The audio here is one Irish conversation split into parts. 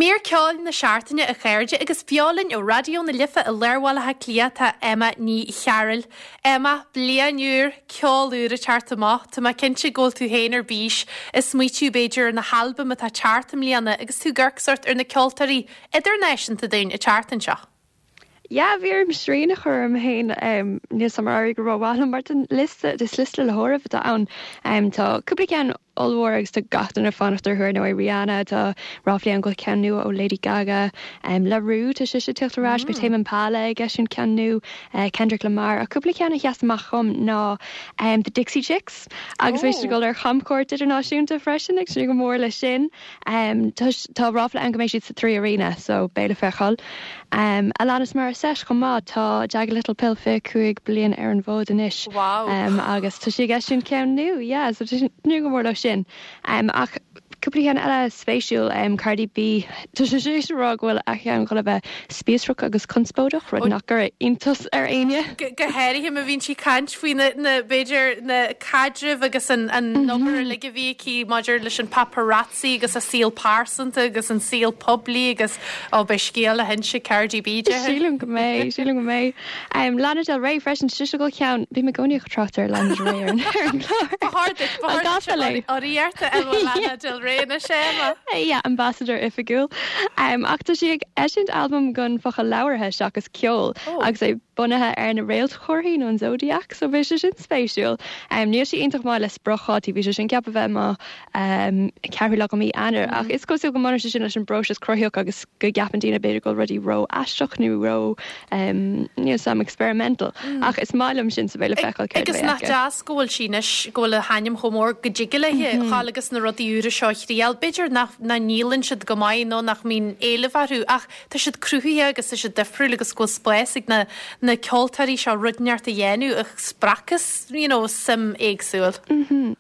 Mír ceoil na seachtaine a chairde agus beo linn ó Raidió na Life i lár Bhaile Átha Cliath tá Emma Ní Chearúil. Emma, bliain úr, ceol úr ag teacht amach. Tá mé cinnte go bhfuil tú féin ar bís ag smaoitiú b'fhéidir ar na halbaim atá ag teacht i mbliana agus tú ag amharc sórt ar na ceoltóirí idirnáisiúnta dúinn ag teacht anseo. Yeah, bhí orm srian a chur orm féin, níl 's a'm ar éirigh go rómhaith liom mar tá liosta, is liosta le háireamh atá ann. Tá cúpla ceann ollmhór agus tá gach duine ag fanacht orthu ar ndóigh, Rihanna, tá ráflaí ann go bhfuil ceann nua ó Lady Gaga, La Roux, tá sise ag teacht ar ais, beidh Tame Impala ag eisiúint ceann nua, Kendrick Lamar, ach cúpla ceann a sheas amach dhom ná The Dixie Chicks agus beidh siad ag dul ar chamchuairt idirnáisiúnta freisin, ag tnúth go mór leis sin. Tá ráfla ann go mbeidh siad sa 3 Arena so beidh le feiceáil. Alanis Morissette chomh maith, tá Jagged Little Pill 25 bliain ar an bhfód anois agus tá sí ag eisiúint ceann nua, yeah, so tá tnúth go mór leo sin. Ach cúpla ceann eile spéisiúil, Cardi B, tá sí tar éis a rá go bhfuil a cheann chun a bheith spíosrach agus conspóideach, rud nach gcuirfidh iontas ar éinne. Go háirithe má bhíonn sí ag caint faoi na, na, b'fhéidir, na caidrimh agus an, an obair uilig a bhí aici maidir leis an paparazzi agus a saol pearsanta agus an saol poiblí agus, ó, beidh scéal le hinse ag Cardi B, déarfainn. Sílim go mbeidh, sílim go mbeidh. Lana Del Rey freisin, tá sise ag dul ceann, bím i gcónaí ag trácht ar Lana Del Rey ar an ar an gclár. Ba chóir duit, ba chóir duit urraíocht a fháil ó Lana Del Rey anois, Emma. Yeah, ambassador oifigiúil. Ach tá sí ag eisiúint albam gan focal labhartha seachas ceol agus é bunaithe ar na réaltchomharthaí nó an zodiac, so beidh sé sin spéisiúil. Níl sí iontach maith le spriocdhátaí, bhí sé sin ceaptha bheith amach ceathrú lá de mhí Eanáir, ach is cosúil go mbaineann sé sin leis an bpróiseas cruthaitheach agus go gceapann daoine b'fhéidir go bhfuil rudaí ró-aisteach nó ró, níl 's a'm, experimental. Ach is maith liom sin so beidh le feiceáil céard a bheidh aici. Agus nach deas go bhfuil sí anois, go bhfuil a hainm chomh mór go dtig léi a ghabháil agus na rudaí úra seo a thriail. B'fhéidir nach ndíolann siad go maith nó nach mbíonn éileamh orthu ach tá siad cruthaithe agus tá siad difriúil agus go bhfuil spás ag na na ceoltóirí seo rud inteacht a dhéanamh a spreagfas you know suim éagsúil.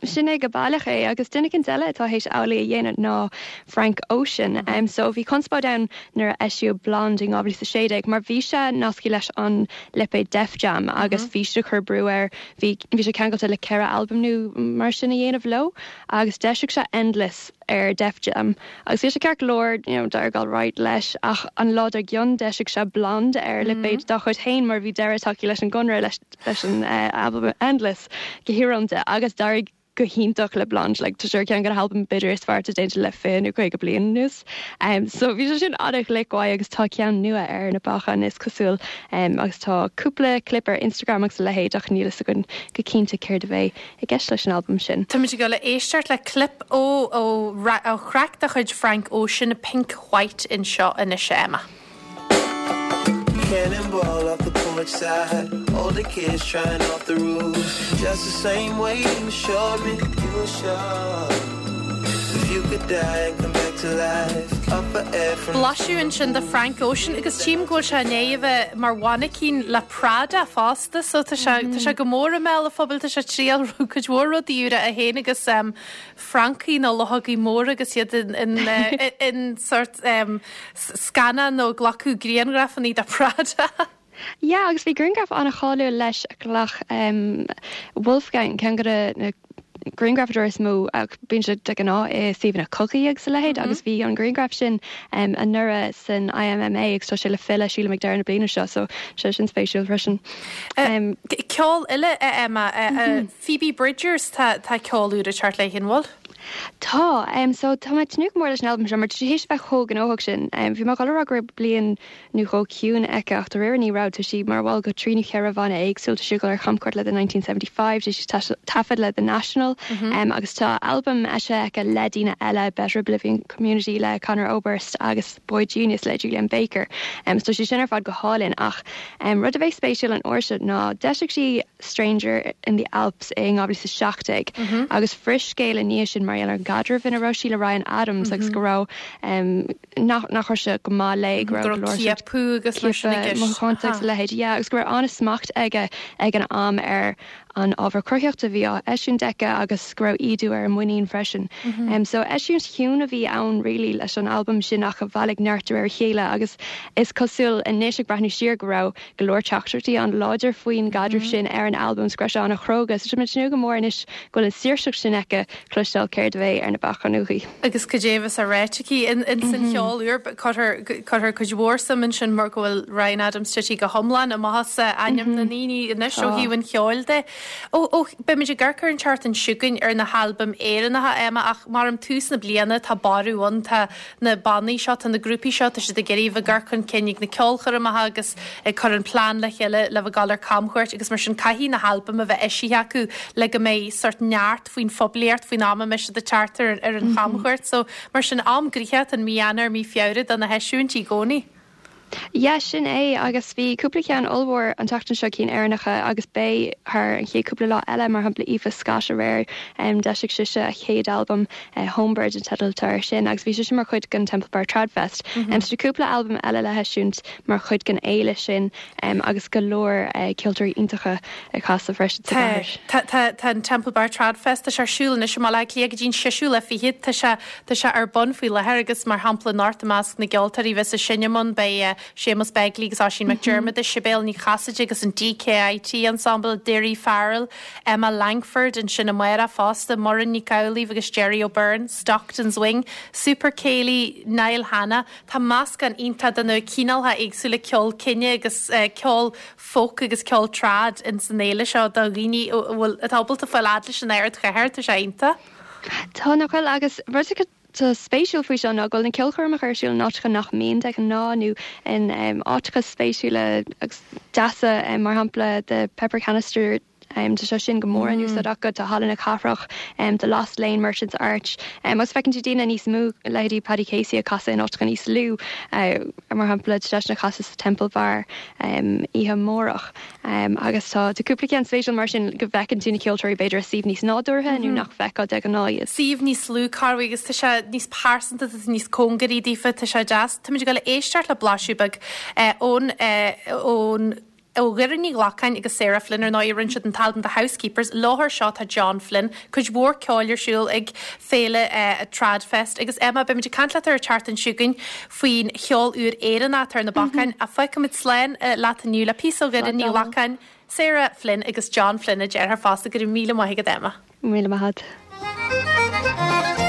Sin é go baileach é agus duine éicint eile atá théis amhlaidh a dhéanamh ná Frank Ocean. So bhí conspóid ann nuair a eisíodh Blonde in 2016 mar bhí sé nasctha leis an lipéad Def Jam agus bhí siad ag cur brú air, bhí bhí sé ceangailte le 4 albam nó mar sin a dhéanamh leo agus d'eisigh sé Endless ar Def Jam agus bhí sé ceart go leor, you know, d'éirigh alright leis ach an lá dár gcionn d'eisigh sé Blonde ar lipéad dá chuid féin mar bhí deireadh tagtha leis an gconradh leis leis an albam Endless go híorónta agus d'éirigh go hiontach le Blonde, like tá sé ar cheann de na halbaim b'fhéidir is fearr atá déanta le 20 nó 50 bliain anuas. So bhí sé sin an-ghlic uaidh agus tá ceann nua ar na bacáin is cosúil agus tá cúpla clip ar Instagram agus a leithéid ach níl fhios againn go cinnte céard a bheidh i gceist leis an albam sin. Táimid ag dul a éisteacht le clip ó ó thraic de chuid Frank Ocean, Pink White anseo anois a Emma. Cannonball off the porch side, older kids trying off the roof. Just the same way you showed me, you showed. If you could die and come back to life, up for air from Blaiseadh ansin de Frank Ocean agus tchím go bhfuil sé i ndiaidh a bheith mar mhainicín le Prada fosta so tá sé tá sé go mór i mbéal an phobail, tá sé ag triail cuid mhór rudaí úra é féin agus francaigh nó luchógaí móra agus iad in in sórt scannán nó ag glacadh grianghrafanna do Prada. Yeah agus bhí grianghraf an-cháiliúil leis a ghlac Wolfgang, ceann de na grianghrafadóirí is mó ach bíonn sé de ghnáth i suíomhanna cogaidh agus a leithéid agus bhí an grianghraf sin anuraidh san IMMA agus tá sé le filleadh sílim ag deireadh na bliana seo so sé sin spéisiúil freisin. Ceol eile a Emma, Phoebe Bridgers tá tá ceol úr ag teacht léi an bhfuil? Tá, so tá mé ag tnúth go mór leis an albam seo mar tá sí théis a bheith chomh gnóthach sin. Bhí mé ag dul a rá go raibh bliain nó dhó ciúin aici ach dáiríre ní raibh. Tá sí mar bhall de thrí nó cheithre bhanna éagsúil, tá sí ag dul ar chamchuairt le The 1975, tá sí ag taifead le The National agus tá albam eisithe aici le daoine eile, Better Oblivion Community le Conor Oberst agus boygenius le Julien Baker. So tá sé sin ar fad go hálainn ach rud a bheidh spéisiúil an uair seo ná d'eisigh sí Stranger in the Alps i 2017 agus bhris scéal i ndiaidh sin mar gheall ar an gcaidreamh ina raibh sí le Ryan Adams agus go raibh nach nach raibh sé go maith léi go raibh go leor ciapadh agus mar sin i gceist. Mothúchánta agus a leithéid yeah agus go raibh an-smacht aige ag an am ar an ábhar cruthaitheachta a bhí á eisiúint aici agus go raibh ídiú ar a muinín freisin. So eisiúint chiúin a bhí ann really leis an albam sin ach a bhailigh neart de réir a chéile agus is cosúil anois ag breathnú siar go raibh go leor teachtaireachtaí an-láidir faoin gcaidreamh sin ar an albam 's go raibh sé an-chróga. So tá mé ag tnúth go mór anois go bhfuil an saoirseacht sin aici cloisteáil céard. céard a bheidh ar na bacáin uaithi. Agus cad é a bheas á ráit aici ins an cheol úr. Cuirtear cuid mhór suim ansin mar go bhfuil Ryan Adams tite go hiomlán amach as ainm na ndaoine anois ó thaobh an cheoil de. Ó, beimid ag amharc ar an tseachtain seo chugainn ar na halbaim Éireannacha, Emma, ach mar um tús na bliana tá borradh ann, tá na bannaí seo, tá na grúpaí seo, tá siad ag iarraidh a bheith ag cur chun cinn ag na ceolchoirmeacha agus ag cur an plean le chéile le bheith ag dul ar camchuairt agus mar sin caithfidh na halbaim a bheith eisithe acu le go mbeidh sort neart faoin phoiblíocht faoin am a mbeidh siad ag teacht ar ar an chamchuairt. So mar sin am gnoitheach an mí Eanáir, mí Feabhra do na heisiúintí i gcónaí. Yeah, sin é, agus bhí cúpla ceann ollmhór an tseachtain seo, cinn Éireannacha, agus beidh thar an chéad cúpla lá eile, mar shampla Aoife Scott aréir, d'eisigh sise a chéad albam, Homebird an teideal atá air sin, agus bhí sise mar chuid den Temple Bar Tradfest. So tá cúpla albam eile le heisiúint mar chuid den fhéile sin, agus go leor ceoltóirí iontacha ag casadh freisin sa gcathair. Tá, tá, tá an Temple Bar Tradfest, tá sé ar siúl anois i mBaile Átha Cliath go dtí an seisiú lá fichead, tá sé, Tá sé ar bun faoi láthair agus mar shampla anocht i measc na gceoltóirí a bheas ag seinm ann beidh Séamus Begley agus Oisín McDiarmada, Sibéal Ní Chasaide agus an DKIT Ensemble, Daoirí Farrell, Emma Langford, ansin amárach fosta, Muireann Nic Amhlaoibh agus Gerry O'Beirne, Stockton's Wing, Super Céilí, Niall Hanna. Tá meascán iontach de na cineálacha éagsúla ceol cine agus ceol folk agus ceol trad ins an fhéile seo do dhaoine a bhfuil atá ábalta fáil fhad leis an ardchathair, tá sé iontach. Tá, nach bhfuil? Agus rud atá spéisiúil faoi seo ná go bhfuil na ceolchoirmeacha ar siúl in áiteacha nach mbíonn de ghnáth nó in áiteacha spéisiúla agus deasa, mar shampla The Pepper Canister, tá sé sin go mór in úsáid acu, tá Halla na Cathrach, The Lost Lane Merchants Arch, agus feiceann tú daoine níos mó, leithéidí Paddy Casey ag casadh in áiteacha níos lú, mar shampla tá seisean ag casadh sa Temple Bar oíche amárach. Agus tá cúpla ceann spéisiúil mar sin go bhfeiceann tú na ceoltóirí b'fhéidir i suíomh níos nádúrtha nó nach bhfeicfeá de ghnáth iad. Suíomh níos lú, corruair agus tá sé níos pearsanta, tá tú níos cóngaraí daofa, tá sé deas. Táimid ag dul a éisteacht le blaiseadh beag ón, ón, ó Dhoireann Ní Ghlacáin agus Sarah Flynn, ar ndóigh, rinne siad an t-albam The Housekeepers. Leo seo tá John Flynn. Cuid mhór ceoil ar siúl ag féile Tradfest. Agus Emma, beimid ag caint leat ar an tseachtain seo chugainn faoin cheol úr Éireannach atá ar na bacáin. Ach fágfaimid slán leat inniu le píosa ó Dhoireann Ní Ghlacáin, Sarah Flynn agus John Flynn a deartháir fosta. Go raibh míle maith agat Emma. Míle maith agat.